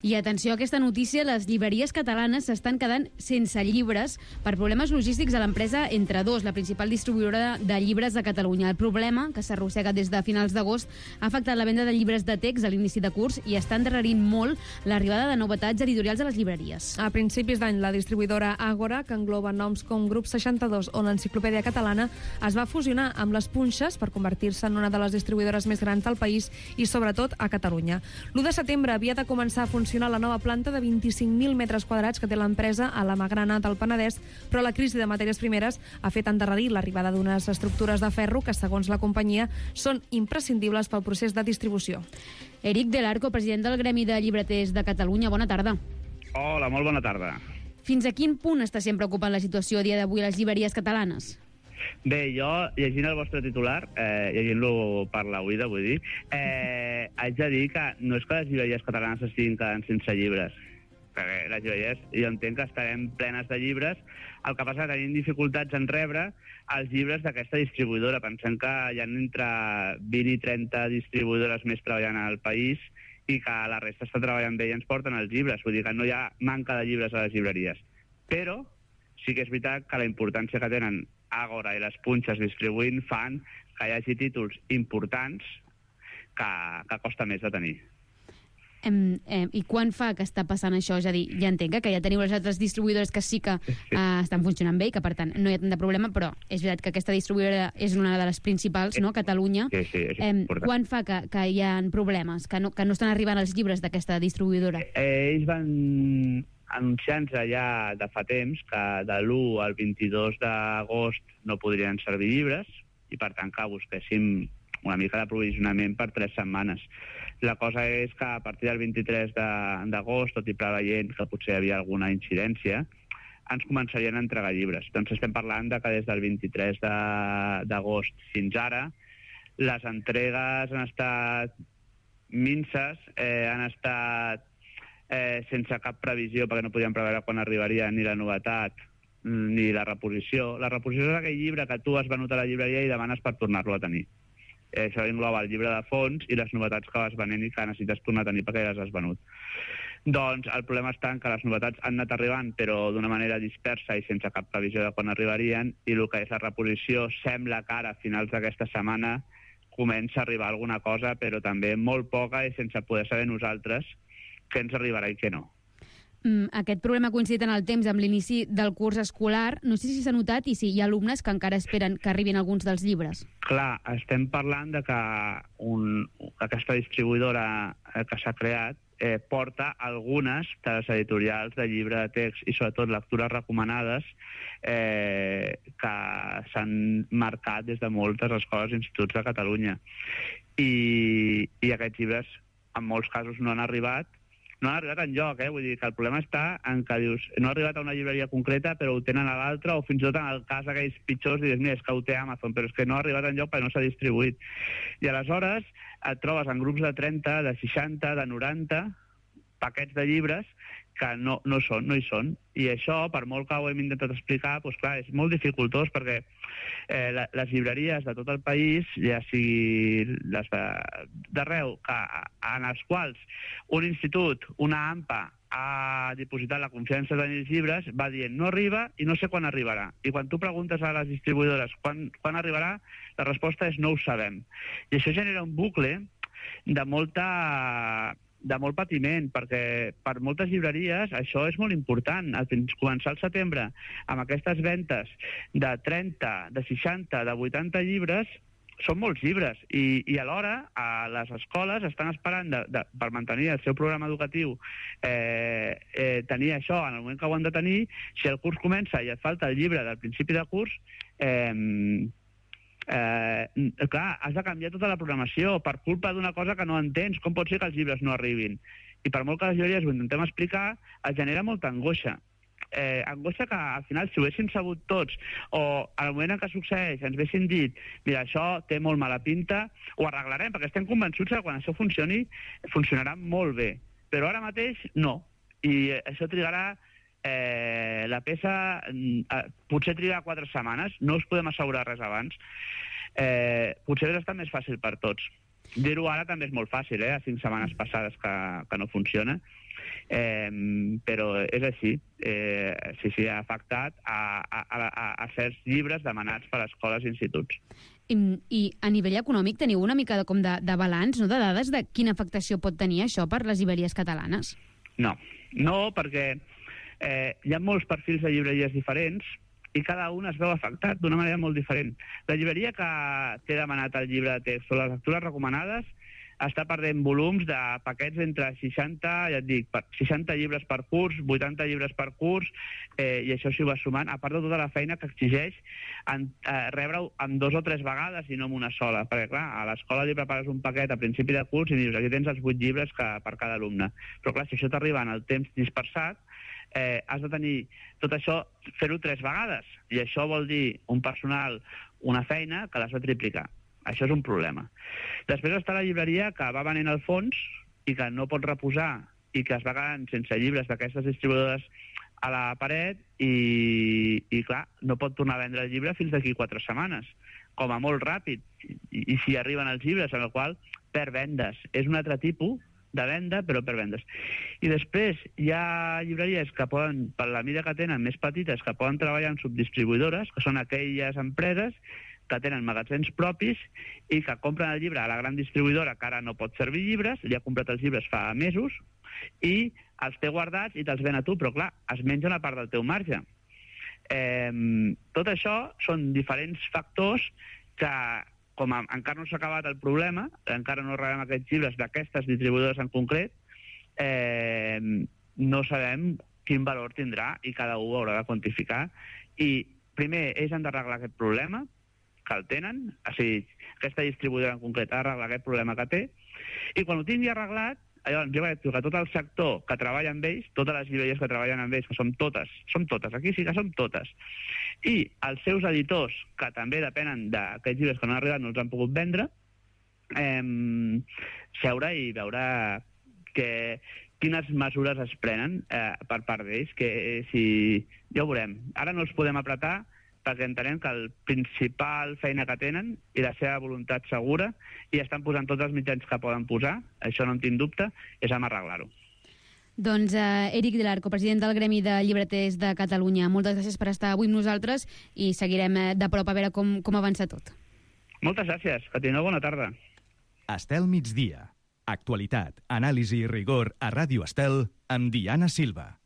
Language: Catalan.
I atenció a aquesta notícia, les llibreries catalanes s'estan quedant sense llibres per problemes logístics a l'empresa Entre2, la principal distribuïdora de llibres de Catalunya. El problema, que s'arrossega des de finals d'agost, ha afectat la venda de llibres de text a l'inici de curs i està endarrerint molt l'arribada de novetats editorials a les llibreries. A principis d'any, la distribuïdora Àgora, que engloba noms com Grup 62 o l'Enciclopèdia Catalana, es va fusionar amb les Punxes per convertir-se en una de les distribuïdores més grans del país i, sobretot, a Catalunya. L'1 de setembre havia de començar a funcionar la nova planta de 25.000 metres quadrats que té l'empresa a la Magrana del Penedès, però la crisi de matèries primeres ha fet endarrerir l'arribada d'unes estructures de ferro que, segons la companyia, són imprescindibles pel procés de distribució. Eric Del Arco, president del Gremi de Llibreters de Catalunya, bona tarda. Hola, molt bona tarda. Fins a quin punt està sent preocupant la situació a dia d'avui a les llibreries catalanes? Bé, jo, llegint el vostre titular, llegint-lo per la oïda, vull dir, haig de dir que no és que les llibreries catalanes estiguin quedant sense llibres, perquè les llibreries, jo entenc que estarem plenes de llibres, el que passa que tenim dificultats en rebre els llibres d'aquesta distribuïdora. Pensem que hi ha entre 20 i 30 distribuïdores més treballant al país i que la resta està treballant bé i ens porten els llibres, vull dir que no hi ha manca de llibres a les llibreries. Però sí que és veritat que la importància que tenen Àgora i les Punxes distribuint fan que hi hagi títols importants que costa més de tenir. I quan fa que està passant això? És a dir, ja entenc que ja teniu les altres distribuïdores que sí que estan funcionant bé i que, per tant, no hi ha tant de problema, però és veritat que aquesta distribuïdora és una de les principals, no?, Catalunya. Sí, és important. Quan fa que hi ha problemes, que no estan arribant els llibres d'aquesta distribuïdora? Ells van anunciant-se ja de fa temps que de l'1 al 22 d'agost no podrien servir llibres i, per tant, que busquéssim una mica d'aprovisionament per 3 setmanes. La cosa és que a partir del 23 d'agost, tot i preveient que potser hi havia alguna incidència, ens començarien a entregar llibres. Doncs estem parlant de que des del 23 d'agost fins ara les entregues han estat minses, han estat sense cap previsió, perquè no podíem preveure quan arribaria ni la novetat ni la reposició. La reposició és aquell llibre que tu has venut a la llibreria i demanes per tornar-lo a tenir. Això engloba el llibre de fons i les novetats que vas venent i que necessites tornar a tenir perquè ja les has venut. Doncs el problema està en que les novetats han anat arribant però d'una manera dispersa i sense cap previsió de quan arribarien, i el que és la reposició sembla que ara a finals d'aquesta setmana comença a arribar alguna cosa, però també molt poca i sense poder saber nosaltres què ens arribarà i què no. Aquest problema ha coincidit en el temps amb l'inici del curs escolar. No sé si s'ha notat i si hi ha alumnes que encara esperen que arribin alguns dels llibres. Clar, estem parlant de que aquesta distribuïdora que s'ha creat porta algunes de les editorials de llibre de text i sobretot lectures recomanades que s'han marcat des de moltes escoles i instituts de Catalunya. I aquests llibres en molts casos no han arribat enlloc, vull dir que el problema està en que dius, no ha arribat a una llibreria concreta però ho tenen a l'altra, o fins i tot en el cas d'aquells pitjors dius, mira, és que ho té Amazon, però és que no ha arribat enlloc perquè no s'ha distribuït. I aleshores et trobes en grups de 30, de 60, de 90 paquets de llibres que no hi són. I això, per molt que ho hem intentat explicar, doncs clar, és molt dificultós perquè les llibreries de tot el país, ja sigui les d'arreu, en els quals un institut, una AMPA, ha dipositat la confiança de tenir els llibres, va dient no arriba i no sé quan arribarà. I quan tu preguntes a les distribuïdores quan arribarà, la resposta és no ho sabem. I això genera un bucle de molt patiment, perquè per moltes llibreries això és molt important. Començar al setembre amb aquestes ventes de 30, de 60, de 80 llibres són molts llibres i alhora les escoles estan esperant per mantenir el seu programa educatiu tenir això en el moment que ho han de tenir. Si el curs comença i et falta el llibre del principi de curs, clar, has de canviar tota la programació per culpa d'una cosa que no entens. Com pot ser que els llibres no arribin? I per molt que les llibreries ho intentem explicar, es genera molta angoixa. Angoixa que al final, si ho haguéssim sabut tots, o al moment en què succeeix ens haguessin dit, mira, això té molt mala pinta, ho arreglarem, perquè estem convençuts que quan això funcioni, funcionarà molt bé. Però ara mateix no. I això trigarà la peça potser triga 4 setmanes, no us podem assegurar res abans. Potser hauria estat més fàcil per tots. Dir-ho ara també és molt fàcil, a 5 setmanes passades que no funciona, però és així. Sí, ha afectat a certs llibres demanats per escoles i instituts. I a nivell econòmic teniu una mica de balanç, no, de dades de quina afectació pot tenir això per les llibreries catalanes? No, perquè hi ha molts perfils de llibreries diferents i cada un es veu afectat d'una manera molt diferent. La llibreria que té demanat el llibre de text o les lectures recomanades està perdent volums de paquets entre 60, ja et dic, 60 llibres per curs, 80 llibres per curs, i això s'hi va sumant, a part de tota la feina que exigeix rebre-ho amb 2 o 3 vegades i no amb una sola. Perquè, clar, a l'escola li prepares un paquet a principi de curs i dius, aquí tens els 8 llibres per cada alumne. Però, clar, si això t'arriba en el temps dispersat, has de tenir tot això, fer-ho 3 vegades. I això vol dir un personal, una feina que l'has de triplicar. Això és un problema. Després està la llibreria que va venent al fons i que no pot reposar i que es va quedant sense llibres d'aquestes distribuïdores a la paret i clar, no pot tornar a vendre el llibre fins d'aquí 4 setmanes, com a molt ràpid. I si arriben els llibres, en el qual perd vendes. És un altre tipus de venda, però per vendes. I després hi ha llibreries que poden, per la mida que tenen, més petites, que poden treballar en subdistribuïdores, que són aquelles empreses que tenen magatzems propis i que compren el llibre a la gran distribuïdora que ara no pot servir llibres, li ha comprat els llibres fa mesos i els té guardats i te'ls ven a tu, però clar, es menja una part del teu marge. Tot això són diferents factors que, com encara no s'ha acabat el problema, encara no rebem aquests llibres d'aquestes distribuïdores en concret, no sabem quin valor tindrà i cada un haurà de quantificar. I primer, ells han d'arreglar aquest problema, que el tenen, o sigui, aquesta distribuïdora en concret ha d'arreglar aquest problema que té, i quan ho tingui arreglat, llavors jo crec que tot el sector que treballa amb ells, totes les llibreries que treballen amb ells, que som totes, aquí sí que som totes, i els seus editors, que també depenen d'aquests llibres que no han arribat, no els han pogut vendre, seure i veure quines mesures es prenen per part d'ells, que si ja ho veurem. Ara no els podem apretar perquè entenem que el principal feina que tenen i la seva voluntat segura, i estan posant tots els mitjans que poden posar, això no en tinc dubte, és amb arreglar-ho. Doncs Eric de l'Arco, president del Gremi de Llibreters de Catalunya, moltes gràcies per estar avui amb nosaltres i seguirem de prop a veure com avança tot. Moltes gràcies, que tingueu bona tarda. Estel Migdia. Actualitat, anàlisi i rigor a Ràdio Estel amb Diana Silva.